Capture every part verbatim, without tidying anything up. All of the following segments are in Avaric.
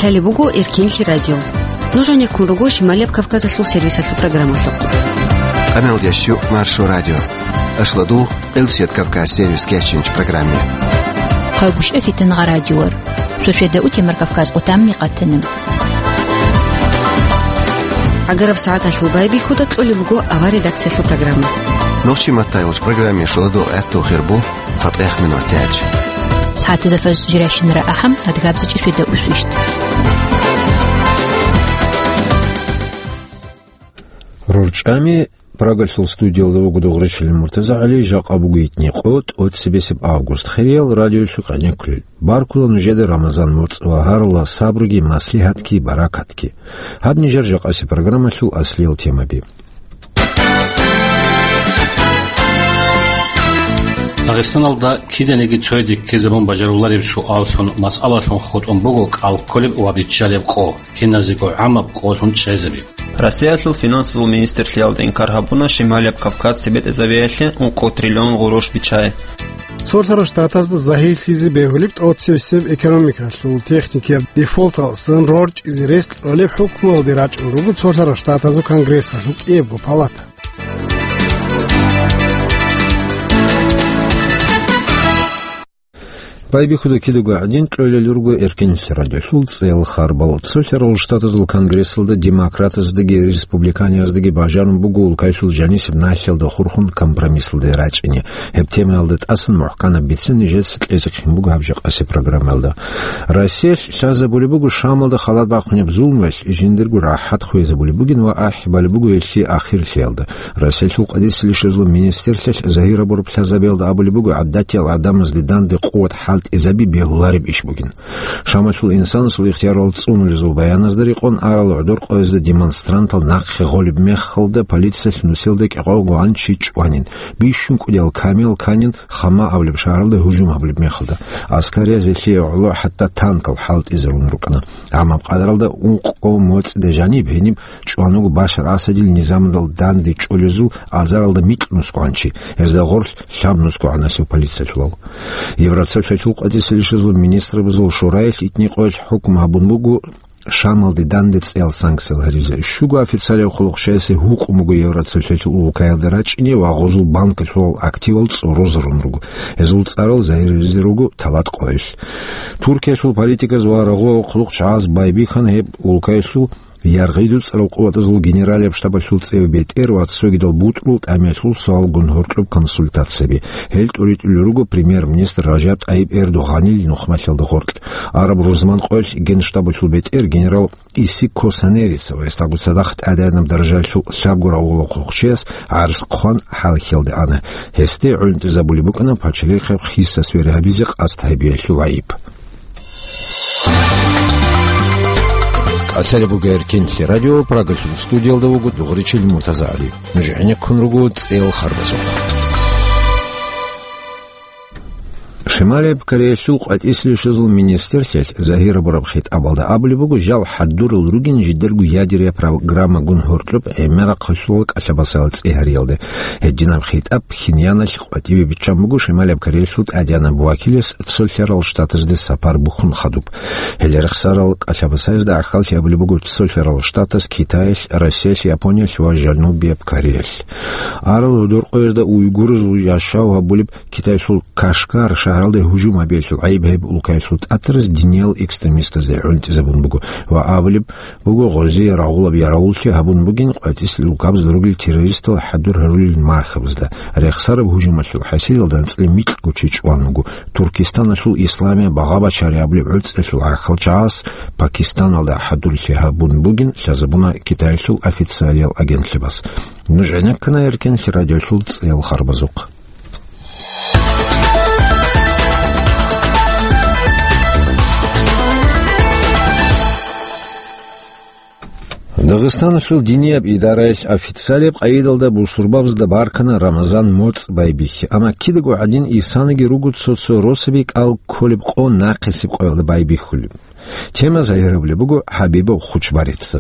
Гьале буго Эркинлъи радио. Нуж гӀенеккун руго Шималияб Кавказалъул сервисалъул программалъухъ. Къамел ящу Маршо радио. Ашладу Элсият Кавказ сервис кечинч программе. Хъагушев Фитнагъа радиор. Сосиеда утемар Кавказ отамни къатанем. ГӀагараб сагӀаталъул байбихьуда кьолеб буго авар редакциялъул программа. Нохчи маттайулч программе шуладу гӀятту хирбу цатӀех минут тяч. СагӀатазда фаз жиращинара ахӀам адгабзачӀи светда усвищт. РорчӀами Прагалъул студиялда вуго Дугъричилин МуртазагӀали, жакъа буго итни къо, тӀоцебесеб август. Хириял радиолъухъ гӀенеккулел. Баркула нужеда Рамазан моцӀ ва гьарула сабруги, маслигьатги, баракатги. Гьаб нижер жакъаси программалъул аслиял темаби. Дагъистаналда киданиги цойде ккезабун бажарулареб суаллъун, масъалалъун хутӀун буго кӀал кколеб ва биччалеб къо, киназего гӀамаб къолъун чӀезаби. Россиялъул финансазул министрлъиялда инкар гьабуна Шималияб Кавказ цебетӀезабиялъе ункъо триллион гъурущ биччай. Цолъарал Штатазда загьирлъизе бегьулеб тӀоцебесеб экономикалъул техникияб дефолталдасан рорчӀизе рес кьолеб хӀукмуялде рачӀун руго Цолъарал Штатазул Конгрессалъул кӀиябго палата. Байбихьуда кидаго гӀадин кьолел руго Эркинлъи радиолъул цӀел харбал. Цолъарал Штатазул Конгрессалда демократаздаги республиканияздаги бажарун буго улкаялъул жанисеб нахьалда хурхун компромиссалде рачӀине. Гьеб темаялда тӀасан мухӀканаб бицин нижеца кьезехъин буго гьаб жакъаси программаялда. Россиялъ лъазабулеб буго Шамалда халат бахъунеб зулмуялъ, жиндирго рахӀат хвезабулеб бугин ва ахӀи балеб буго гьелъие ахирлъиялда. Россиялъул къадисел ишазул министрлъиялъ загьир гьабураб лъазабиялда абулеб буго гӀадатиял гӀадамазде данде къуват хӀалтӀизаби бегьулареб иш бугин. Шамалъул инсанасул ихтиярал цӀунулезул баяназда рекъон арал гӀодор къоязда демонстрантал нахъе гъолеб мехалда полициялъ нусилда кӀикъого гъанчи чӀванин, бищун кӀудиял камел канин, Хама абулеб шагьаралда гьужум гьабулеб мехалда. Аскарияз гьелъие гӀоло хӀатта танкал хӀалтӀизарун рукӀана. Амма къадаралда ункъо моцӀида жаниб гьениб чӀван вуго Башар Асадил низамалда данде чӀолезул азаралда микьнусго гӀанчи, гьезда гъорлъ лъабнусго гӀанасев полициялъулал. Евроцолъалъул къадисел ишазул министрабазул шораялъ итни къоялъ хӀукму гьабун буго Шамалде данде цӀеял санкциял гьаризе. Щуго официалияб хъулухъчиясе гьукъун буго Евроцолъалъул улкаялда рачӀине ва гъозул банкалъулал активал цӀорозарун руго. Гьезул цӀарал загьиризе руго талат къоялъ. Туркиялъул политиказ ва рагъулал хъулухъчагӀаз байбихьана гьеб улкаялъул яргъи дуцӀарал къуватазул генералияб штабалъул цӀев бетӀер ва цогидал бутӀрул тӀамиялъул суалгун гьоркьоб консультацияби. Гьел тӀуритӀулел руго премьер-министр Ражаб ТӀайиб Эрдогъанил нухмалъиялда гъоркь. Араб рузман къоялъ генштабалъул бетӀер генерал Исико Санерица ва гьесдагу цадахъ тӀадегӀанаб даражаялъул лъабго рагъулахъулахъчияс гӀарз хъван хӀалхьиялде ана. Гьесде гӀунтӀизабулеб букӀана пачалихъе хисас вер гьабизе къасд гьабиялъул гӀайиб. КӀалъалеб буго Эркинлъи радио, Прагалъул студиялда вуго Дугъричил МуртазагӀали. Нуж гӀенеккун руго цӀел харбазухъ. Шималияб Кореялъул къватӀислъи щвезул министрлъиялъ загьир гьабураб хитӀабалда абулеб буго, жал хӀадурал ругин жидерго ядерия программагун гьоркьоб гӀемерахъалъулал кӀалъабасал цӀи гьариялде. Гьединаб хитӀаб Пхеньяналъ къватӀибе биччан буго Шималияб Кореялъул тӀадегӀанаб вакилас Цолъарал Штатазде сапар бухьун хадуб. Гьел рехсарал кӀалъабасаязда гӀахьаллъи абулеб буго Цолъарал Штатаз, Китаялъ, Россиялъ, Япониялъ ва Жанубияб Кореялъ. Арал гӀодор къоязда уйгуразул яшав гьабулеб Китайсул Кашгар шагьаралде гьужум гьабиялъул гӀайиб гьеб улкаялъул тӀатараз диниял экстремистазе гӀунтӀизабун буго ва абулеб буго, гъозие рагъулаб яравуллъи гьабун бугин къватӀислъи габза ругел террористал хӀадур гьарулел мархабазда. Рехсараб гьужумалъул хӀасилалда анцӀила микьго чи чӀван вуго. Туркистаналъул Исламия багъа бачари абулеб гӀуцӀиялъул гӀахьалчагӀаз Пакистаналда хӀадурлъи гьабун бугин лъазабуна Китайалъул официалиял агентлъабаз. Нуж гӀенеккана Эркинлъи радиолъул цӀел харбазухъ. Дагъистаналъул динияб идараялъ официалияб къайидалда бусурбабазда баркана Рамазан моцӀ байбихьи, амма кидаго гӀадин исаниги руго цо-цо росаби кӀал кколеб къо нахъисеб къоялда байбихьулеб. Тема загьирабулеб буго ХӀабибов Хучбарица.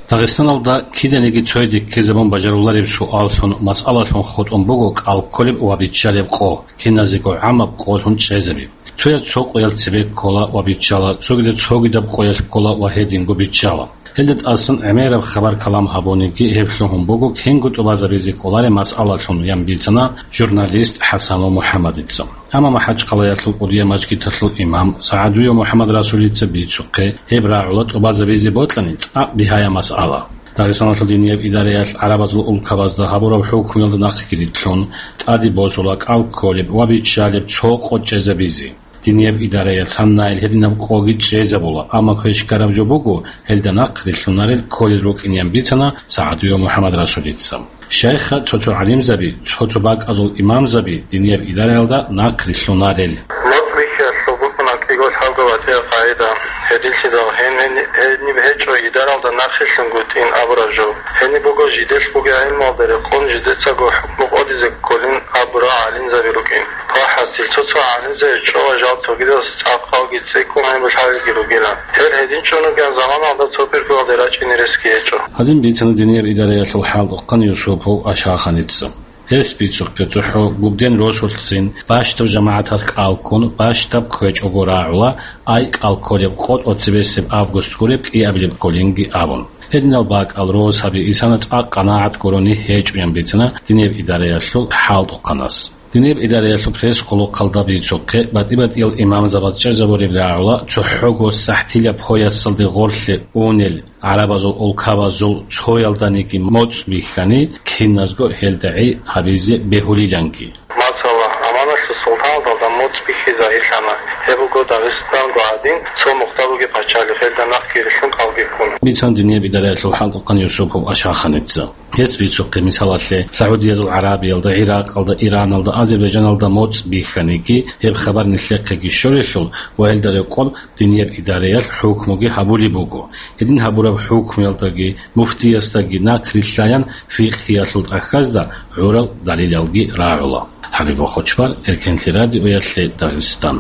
Дагъистаналда киданиги цойде ккезабун бажарулареб суаллъун, масъалалъун хутӀун буго кӀал кколеб ва биччалеб къо, киназего гӀамаб къолъун чӀезаби. Цояз цо къоялъ цебе ккола ва биччала, цогидаз цогидаб къоялъ ккола ва гьединго биччала. Гьелда тӀасан гӀемераб хабар-калам гьабуниги, гьеб лъугьун буго кинго тӀубазабизе кӀолареб масъалалъун, ян бицана журналист ХӀасанов МухӀаммадица. Амма МахӀачхъалаялъул кӀудияб мажгиталъул имам СагӀадиев МухӀаммад Расулица бицухъе, гьеб рагӀула тӀубазабизе бокьани цӀакъ бигьаяб масъала. Дагъистаналъул динияб идараялъ гӀарабазул улкабазда гьабураб хӀукмуялда нахъги рилълъун, тӀаде босула кӀал кколеб ва биччалеб цо къо чӀезабизе. Динияб идараялъ цанайил гьединаб къоги чӀезабула, амма квешкараб жо буго, гьелда нахъ рилълъунарел кколел рукӀин, ян бицана СагӀадиев МухӀаммад Расулица. Шайха цо-цо гӀалимзаби, цо-цо бакӀазул имамзаби динияб идараялда нахъ рилълъунарел. МоцӀ бихьиялъул букӀуна кӀиго лъабго батӀияб къагӀида. Гьединлъидал гьен-, гьениб гьечӀо идаралда нахъ рилълъунгутӀин абураб жо. Гьениб буго жидер бугеб гӀелмуялда рекъон жидецаго хӀукму къотӀизе кколин абурал гӀалимзаби рукӀин. Ва хӀасил, цо-цо гӀалимзаби чӀола жал цогидаз цӀакъалги цӀикӀкӀун гьабулелги ругила. Гьел гьедин чӀун ругел заманалда цо пирпуялде рачӀине ресги гьечӀо. Гьадин бицана динияб идараялъул хӀалтӀухъан Юсупов Ашаханица. Гьес бицухъе цохӀо Губден росулъцин бащдаб жамагӀаталъ кӀал ккун, бащдаб кквечӀого рагӀула, ай кӀал кколеб къо тӀоцебесеб август гуреб кӀиабилеб кколинги абун. Гьединал бакӀал росаби исана цӀакъ къанагӀат гурони гьечӀо, ян бицана динияб идараялъул хӀалтӀухъанас. Динияб идараялъул пресс-къулухъалда бицухъе, батӀи-батӀиял имамзабаз чӀезабуреб рагӀула, цохӀого сахӀтила поясалде гъорлъе унел гӀарабазул улкабазул цоялданиги моцӀ бихьани, киназго гьелда гӀи гьабизе бегьулиланги. Масала, Аманалъул султаналда моцӀ бихьи загьирлъана. Гьеб буго Дагъистанго гӀадин, цо мухъда бугеб пачалихъ, гьелда нахъги рилълъун кӀалги ккун. Бицана динияб идараялъул хӀалтӀухъан Юсупов Ашаханица. Гьес бицухъе, мисалалъе, СагӀудиязул ГӀарабиялда, ГӀиракъалда, Ираналда, Азербайджаналда моцӀ бихьаниги, гьеб хабар нилъехъеги щолелъул ва гьелда рекъон динияб идараялъ хӀукмуги гьабулеб буго. Гьедин гьабураб хӀукмуялдаги, муфтиясдаги нахъ рилълъаян фикъгьиялъул тӀахьазда гӀурал далилалги рагӀула. ХӀабиб Хочбар, Эркенлъи радиоялъе, Дагъистан.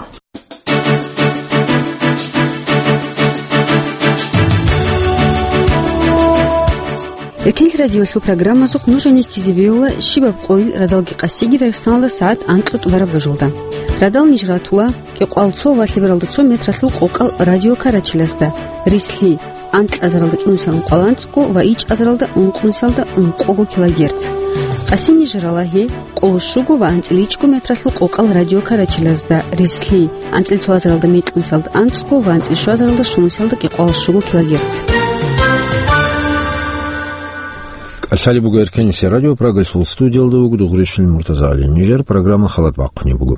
Эркенлъи радиоялъул программазухъ нуж гьанив ккезе бегьула щибаб къойил радалги къасиги Дагъистаналда сагӀат анкьго тӀубараб рожалда. Радал ниж ратула кӀикъоялда цо ва лъебералда цо метралъул къокъал радиокарачилазда, рислъи, анкьазаралда чӀужусан ункъоялда анцӀго ва ичӀазаралда ункънусалда ункъого килогерц. Къасин ниж рала гьеб къоло щуго ва анцӀила ичӀго метралъул къокъал радиокарачилазда, рислъи, анцӀила цоазаралда мекьнусалда анцӀго ва анцӀила щуазаралда щунусалда кӀикъоялда щуго килогерц. КӀалъалеб буго Эркенлъи радио, Прагасул студиялда вуго Дугъришин Муртазагьали. Нижер программа халат бахъунеб буго.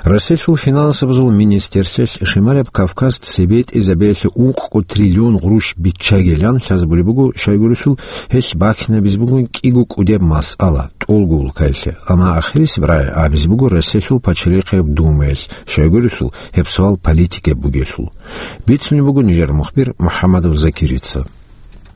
Россиялъул финансабазул министрлъиялъ Шималаб Кавказ цебетӀезабиялъе ункъго триллион гъурущ биччагилан лъазабулеб буго, щайгурелъул гьелъ бахинабизе бугин кӀиго кӀудияб масъала тӀолго улкаялъе. Амма ахирисеб рагӀи абизе буго Россиялъул пачалихъияб Думаялъ, щайгурелъул гьеб суал политикияб бугелъул. Бицунеб буго нижер мухбир МухӀаммадов Закирица.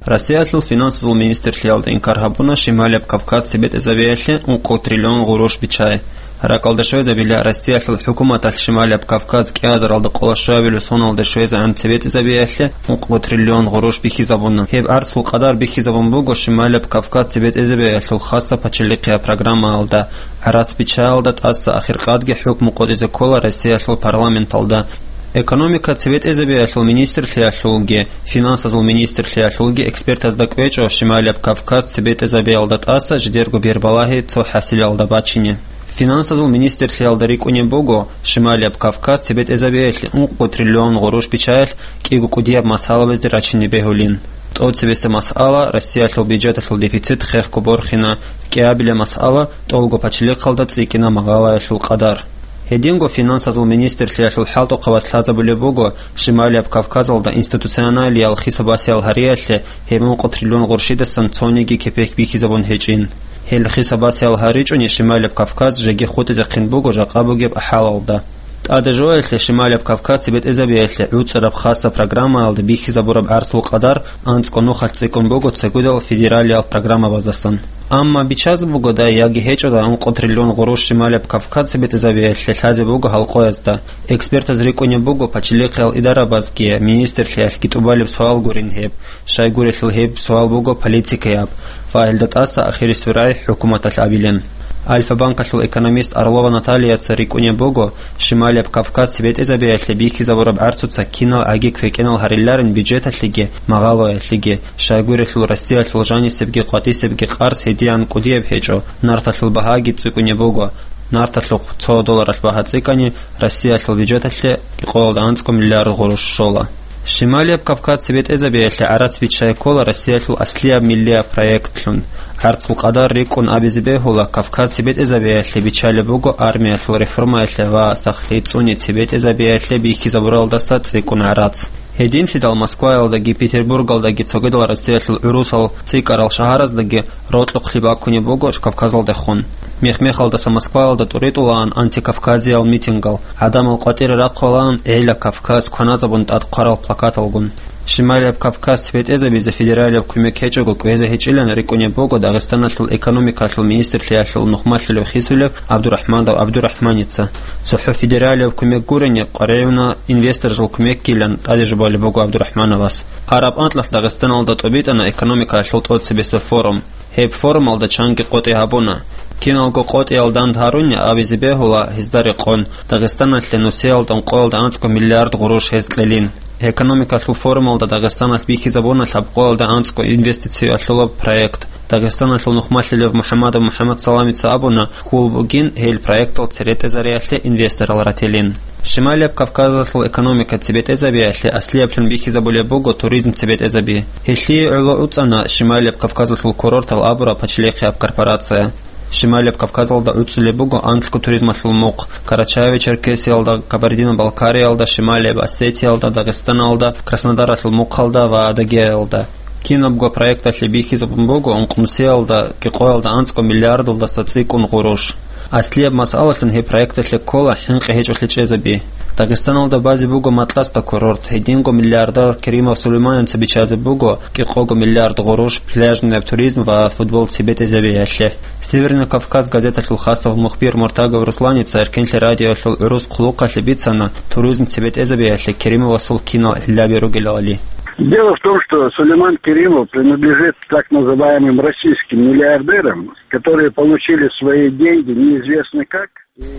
Россиялъул финансазул министрлъиялда инкар гьабуна Шималаб Кавказ цебетӀезабиялъе ункъо триллион гъурущ биччай. РакӀалде щвезабила, Россиялъул хӀукуматалъ Шималаб Кавказ кӀиазаралда къоло щуабилеб соналде щвезегӀан цебетӀезабиялъе ункъо триллион гъурущ бихьизабуна. Гьеб гӀарцул къадар бихьизабун буго Шималаб Кавказ цебетӀезабиялъул хасаб пачалихъияб программаялда. ГӀарац биччаялда тӀаса ахиркъадги хӀукму къотӀизе ккола Россиялъул парламенталда. Экономика цебетӀезабиялъул министрлъиялъулги, финансазул министрлъиялъулги экспертазда кӀвечӀо Шималаб Кавказ цебетӀезабиялда тӀаса жидерго бербалагьи цо хӀасилалда бачине. Финансазул министрлъиялда рикӀкӀунеб буго Шималаб Кавказ цебетӀезабиялъе ункъго триллион гъурущ биччаялъ кӀиго кӀудияб масъалабазде рачине бегьулин. ТӀоцебесеб масъала, Россиялъул бюджеталъул дефицит хехго борхина, кӀиабилеб масъала, тӀолго пачалихъалда цӀикӀкӀина магъалаялъул къадар. Гьединго финансазул министрлъиялъул хӀалтӀухъабаз лъазабулеб буго Шималияб Кавказалда институционалиял хисабасиял гьариялъе гьеб ункъо триллион гъурщидасан цониги кепек бихьизабун гьечӀин. Гьел хисабасиял гьаричӀони Шималияб Кавказ жеги хутӀизехъин буго жакъа бугеб хӀалалда. ТӀаде жоялъе Шималияб Кавказ цебетӀезабиялъе гӀуцӀараб хасаб программаялда бихьизабураб гӀарцул къадар анцӀго нухалъ цӀикӀкӀун буго цогидал федералиял программабаздасан. Амма бичаз бугодай яги гьечӀодай ункъо триллион гъурущ Шималияб Кавказ цебетӀезабиялъе лъазе буго гьал къоязда. Экспертаз рикӀкӀунеб буго пачалихъиял идарабазги, министрлъиялъги тӀубалеб суал гурин гьеб, щайгурелъул гьеб суал буго политикаяб ва гьелда тӀаса ахирисеб рагӀи хӀукуматалъ абилан. Альфа-банкалъул экономист Орлова Натальяца рикӀкӀунеб буго, Шималияб Кавказ цебетӀезабиялъе бихьизабураб гӀарцуца кинал гӀаги квекӀинал гьариларин бюджеталъеги магъалоялъеги, щайгурелъул Россиялъул жанисебги къватӀисебги къарс гьедигӀан кӀудияб гьечӀо, нарталъул багьаги цӀикӀкӀунеб буго, нарталъухъ цо долларалъ багьа цӀикӀкӀани, Россиялъул бюджеталъе кӀикъоялда анцӀго миллиард гъурущ щола. Шималияб Кавказ цебетӀезабиялъе гӀарац биччай ккола Россиялъул аслияб миллияб проектлъун. ГӀарцул къадар рикӀкӀун абизе бегьула, Кавказ цебетӀезабиялъе биччалеб буго армиялъул реформаялъе ва сахлъи цӀуни цебетӀезабиялъе бихьизабуралдаса цӀикӀкӀун гӀарац. Гьединлъидал Москваялдаги Петербургалдаги цогидал Россиялъул гӀурусал цӀикӀкӀарал шагьараздаги рокьухълъи баккунеб буго Кавказалдехун. Мех-мехалдаса Москваялда тӀуритӀулаан антикавказиял митингал, гӀадамал къватӀире рахъулаан «ГӀела Кавказ кваназабун» тӀад хъварал плакаталгун. Шималияб Кавказ цебетӀезабизе федералияб кумек гьечӀого кӀвезе гьечӀилан рикӀкӀунеб буго Дагъистаналъул экономикалъул министрлъиялъул нухмалъулев хисулев ГӀабдурахӀманов ГӀабдурахӀманица. ЦохӀо федералияб кумек гурони къваригӀуна инвесторзул кумекгилан тӀаде жубалеб буго ГӀабдурахӀмановас. Араб анкьалъ Дагъистаналда тӀобитӀана экономикаялъул тӀоцебесеб форум. Гьеб форумалда чанги къотӀи гьабуна. Киналго къотӀиял данд гьаруни абизе бегьула гьезда рекъон, Дагъистаналъе нусиялда ункъоялда анцӀго миллиард гъурущ гьез кьелин. Экономикалъул форумалда Дагъистаналъ бихьизабуна лъабкъоялда анцӀго инвестициялъулаб проект. Дагъистаналъул нухмалъулев МухӀамадов МухӀамадсаламица абуна, хьул бугин гьел проектал церетӀезариялъе инвесторал ратилин. Шималияб Кавказалъул экономика цебетӀезабиялъе аслияблъун бихьизабулеб буго туризм цебетӀезаби. Гьелъие гӀоло уцӀана Шималияб Кавказалъул курортал абураб пачалихъияб корпорация. Шималияб Кавказалда гӀуцӀулеб буго анкьго туризмалъул мухъ, Карачаево-Черкесиялда, Кабардино-Балкариялда, Шималияб Осетиялда, Дагъистаналда, Краснодаралъул мухъалда ва Адыгеялда. Кинабго проекталъе бихьизабун буго ункънусиялда кӀикъоялда анцӀго миллиардалдаса цӀикӀкӀун гъурущ. Аслияб масъалалъун гьеб проекталъе ккола хӀинкъи гьечӀолъи чӀезаби. Дагъистаналда базе буго Матласда курорт, гьединго миллиардер Керимов Сулейманица биччазе буго кӀикъого миллиард гъурущ пляжный туризм ва футбол цебетӀезабиялъе. «Северный Кавказ» газеталъул хасав мухбир Муртагов Русланица Эркенлъи радиоялъул гӀурус хъулухъалъе бицана туризм цебетӀезабиялъе Керимовасул кинал гӀиллаби ругелали. Дело в том, что Сулейман Керимов принадлежит так называемым российским миллиардерам, которые получили свои деньги неизвестно как.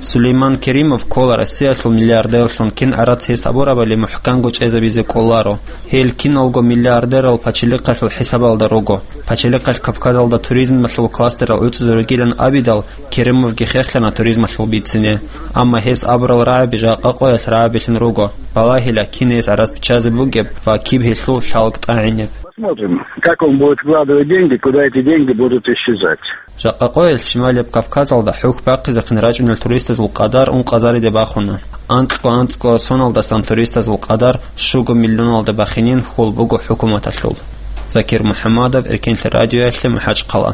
Сулейман Керимов ккола Россиялъул миллиардерлъун, кин гӀарац гьес абурабали мухӀканго чӀезабизе кӀоларо. Гьел киналго миллиардерал пачалихъалъул хӀисабалда руго. Пачалихъалъ Кавказалда туризмалъул кластерал гӀуцӀизе ругилан абидал, Керимовги хехлъана туризмалъул бицине. Амма гьес абурал рагӀаби жакъа къоялъ рагӀабилъун руго. Балагьила, кин гьес гӀарац биччазе бугеб ва киб гьелъул лъалкӀ тӀагӀинеб. Посмотрим, как он будет вкладывать деньги, куда эти деньги будут исчезать. Жакъа къоялъ Шималияб Кавказалда хӀухь бахъизехъин рачӀунел туристазул къадар ункъазариде бахуна. Анкьго-анцӀго соналдасан туристазул къадар щуго миллионалде бахинин хьул буго хӀукуматалъул. Закир МухӀаммадов, Эркенлъи радиоялъе, МахӀачхъала.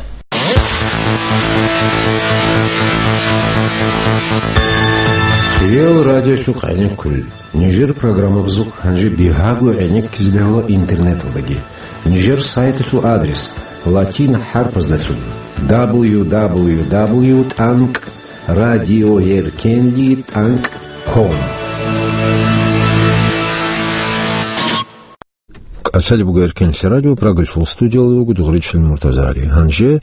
Хиял радиолъухъ гӀенеккулел. Нижер программабазухъ гьанже бигьаго гӀенеккизе бегьула интернеталдаги. Нижер сайталъул адрес латин хӀарпаздалъун: дабл ю дабл ю дабл ю тӀанкӀ радиоеркенли тӀанкӀ ком. КӀалъалеб буго Эркенлъи радио, Прагалъул студиялда вуго Дугъричил Муртазагьари. Гьанже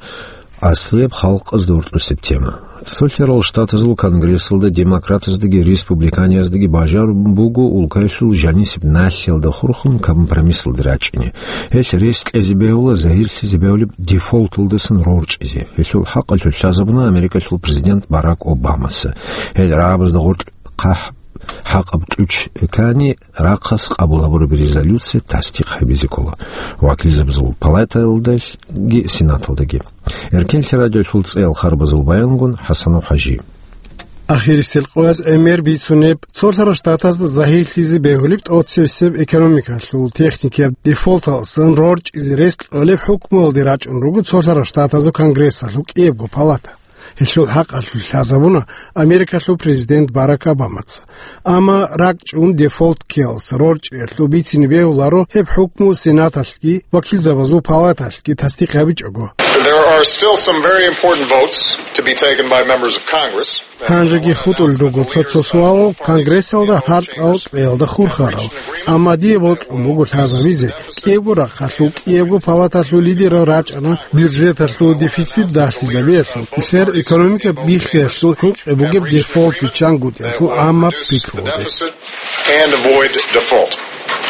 аслияб халкъазда гьоркьосеб тема. Цолъарал Штатазул Конгрессалда демократаздаги республиканияздаги бажар буго улкаялъул жанисеб налъиялда хурхун компромиссалде рачӀине. Гьелъ рес кьезе бегьула загьирлъизе бегьулеб дефолталдасан рорчӀизе. Гьелъул хӀакъалъулъ лъазабуна Америкалъул президент Барак Обамаса. Гьел рагӀабазда гъоркь хъахӀ-, хӀакъаб кьучӀ ккани, рахъас къабул гьабураб резолюция тасдикъ гьабизе ккола вакилзабазул палатаялдаги сенаталдаги. Эркенлъи радиолъул цӀеял харбазул баянгун ХӀасанов ХӀажи. Ахирисел къояз гӀемер бицунеб, цолъарал Штатазда загьирлъизе бегьулеб тӀоцебесеб экономикалъул техникияб дефолталдасан рорчӀизе рес кьолеб хӀукмуялде рачӀун руго цолъарал Штатазул Конгрессалъул кӀиябго палата. Гьелъул хӀакъалъулъ лъазабуна Америкалъул президент Барак Обамаца. Амма ракӀчӀун дефолт ккеялдаса рорчӀиялъул бицине бегьуларо гьеб хӀукму Сенаталъги вакилзабазул палаталъги тасдикъ гьабичӀого. There are still some very important votes to be taken by members of Congress. Гьанжеги хутӀулел руго цо-цо суалал Конгрессалда гьаркьал кьеялда хурхарал. Амма дие бокьун буго лъазабизе, кӀиябго рахъалъул, кӀиябго палаталъул лидерал рачӀана бюджеталъул дефицит далъизабиялъул, нилъер экономика биххиялъул хӀинкъи бугеб дефолт биччангутӀиялъул гӀаммаб пикру гьабизе. And avoid default,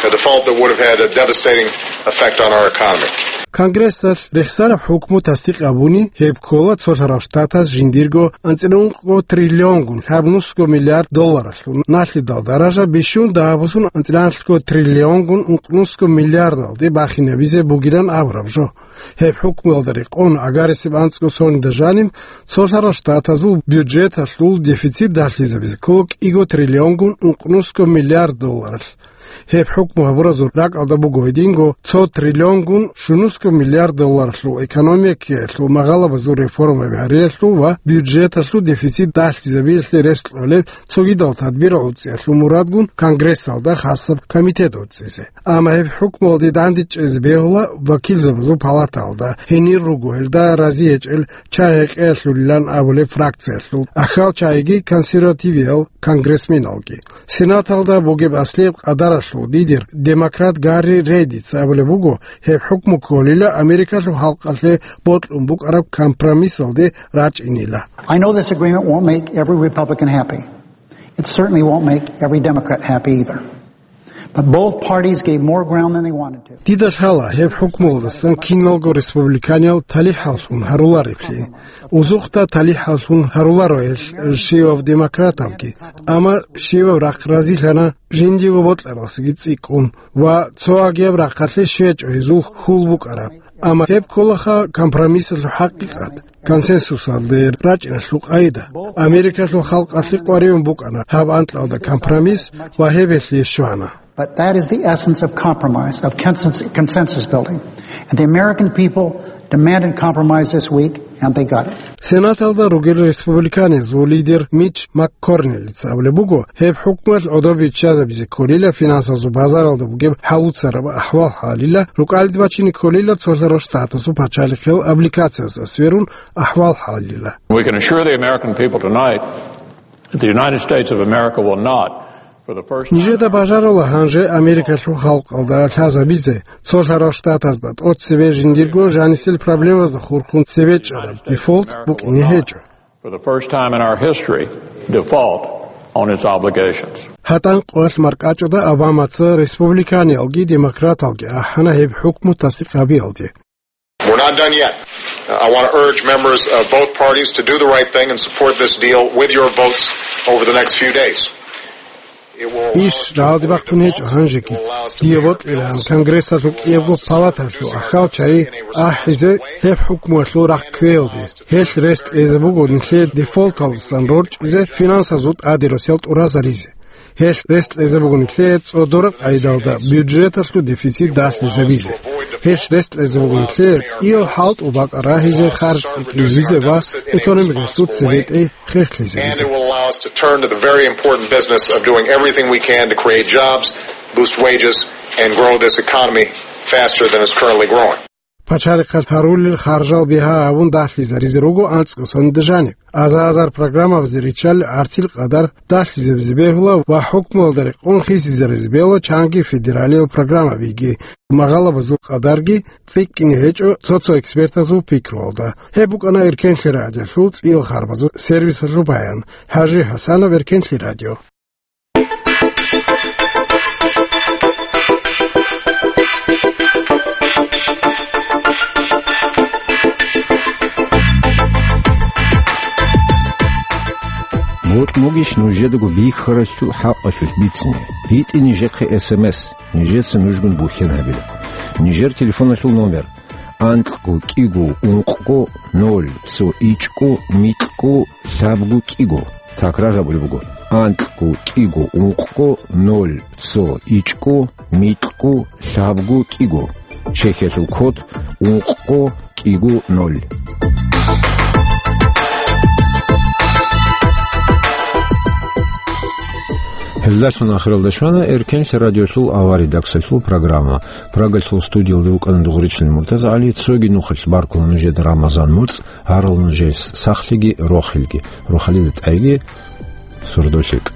a default that would have had a devastating effect on our economy. Конгрессалъ рехсараб хӀукму тасдикъ гьабуни, гьеб ккола цолъарал штатаз жиндирго анцӀила ункъго триллионгун лъабнусго миллиард долларалъул налъидал даража бищун дагьабусун анцӀила анлъго триллионгун ункънусго миллиардалде бахинабизе бугилан абураб жо. Гьеб хӀукмуялда рекъон, аграриясеб анцӀго сонида жаниб, цолъарал штатазул бюджеталъул дефицит далъизабизе ккола кӀиго триллионгун ункънусго миллиард долларалъ. Гьеб хӀукму гьабуразул ракӀалда буго гьединго цо триллионгун щунусго миллиард долларалъул экономикаялъул, магъалабазул реформаби гьариялъул ва бюджеталъул дефицит далъизабиялъе рес кьолеб цогидал тадбирал гӀуцӀиялъул мурадгун Конгрессалда хасаб комитет гӀуцӀизе. Амма гьеб хӀукмуялде дандчӀвазе бегьула вакилзабазул палаталда, гьенир руго гьелда рази гьечӀел чагӀи гьекъеялъулилан абулеб фракциялъул, ахал чагӀиги консервативиял конгрессменалги. Сенаталда бугеб аслияб къадаралъул лидер, демократ Гарри Рейдица абулеб буго, гьеб хӀукму кколила Америкалъул халкъалъе бокьун букӀараб компромиссалде рачӀинила. I know this agreement won't make every Republican happy. It certainly won't make every Democrat happy either. But both parties gave more ground than they wanted to. Дида лъала, гьеб хӀукмуялдасан киналго республиканиял талихӀаллъун гьарулареблъи. Узухъда талихӀаллъун гьаруларо гьел щивав демократалги, амма щивав рахъ разилъана жиндиего бокьаралдасаги цӀикӀкӀун ва цо агияб рахъалъе щвечӀо гьезул хьул букӀараб. Амма гьеб кколаха компромиссалъул хӀакъикъат, консенсусалде рачӀиналъул къайда. Америкалъул халкъалъе къваригӀун букӀана гьаб анкьалда компромисс ва гьеб гьелъие щвана. But that is the essence of compromise, of consensus, consensus building. And the American people demanded compromise this week, and they got it. Сенаталда ругел республиканизул лидер Мич МакКорнелица абулеб буго, гьеб хӀукмуялъ гӀодобе биччазабизе кколила финансазул базаралда бугеб хӀалуцараб ахӀвал-хӀалила, рукӀалде бачине кколила цолъарал штатазул пачалихъел облигациясда сверун ахӀвал-хӀалила. We can assure the American people tonight that the United States of America will not, for the first time. Нижеда бажарала гьанже Америкалъул халкъалда лъазабизе, цолъарал штатазда тӀоцебе жиндирго жанисел проблемазда хурхун цебе чӀараб дефолт букӀине гьечӀо. For the first time in our history, default on its obligations. ГьатӀан къоялъ маркӀачӀуда Обамаца республиканиялги демократалги ахӀана гьеб хӀукму тасдикъ гьабиялде. We're not done yet. I want to urge members of both parties to do the right thing and support this deal with your votes over the next few days. Иш рагӀалде бахъун гьечӀо гьанжеги. Дие бокьилаан Конгрессалъул кӀиябго палаталъул ахал чагӀи ахӀизе гьеб хӀукмуялъул рахъ кквеялде. Гьелъ рес кьезе буго нилъее дефолталдасан рорчӀизе финансазул тӀаде росиялъ тӀуразаризе. Гьелъ рес кьезе буго нилъее цӀодораб къайдалда бюджеталъул дефицит далъизабизе. Гьелъ рес кьезе буго нилъее цӀиял хӀалтӀул бакӀа рагьизе, харж цӀикӀкӀинабизе ва экономикалъул цебетӀей хехлъизабизе. And it will allow us to turn to the very important business of doing everything we can to create jobs, boost wages, and grow this economy faster than it's currently growing. Пачалихъалъ гьарулел харжал бигьа гьабун далъизаризе руго анцӀго соналда жаниб. Азар-азар программабазе риччалел гӀарцил къадар далъизабизе бегьула ва хӀукмуялда рекъон хисизаризе бегьула чанги федералиял программабиги, магъалабазул къадарги цӀикӀкӀине гьечӀо цо-цо экспертазул пикруялда. Гьеб букӀана Эркенлъи радиолъул цӀиял харбазул сервисалъул баян. ХӀажи ХӀасанов, Эркенлъи радио. Бокьун бугищ нужедаго бихьаралъул хӀакъалъулъ бицине? ГьитӀе нижехъе эс эм эс, нижеца нужгун бухьен гьабила. Нижер телефоналъул номер: анкьго кӀиго ункъго ноль цо ичӀго микьго лъабго кӀиго. Такрар гьабулеб буго: анкьго кӀиго ункъго ноль цо ичӀго микьго лъабго кӀиго. Чехиялъул код ункъго кӀиго ноль. Гьелдалъун ахиралда щвана Эркенлъи радиолъул аваридаксалъул программа. Прагалъул студиялда вукӀана Дугъричлъи МуртазагӀали. Цоги нухалъ баркула нужеда Рамазан муцӀ, гьарал нужее сахлъиги рохелги, рохалида тӀайги, сордолъикӀ.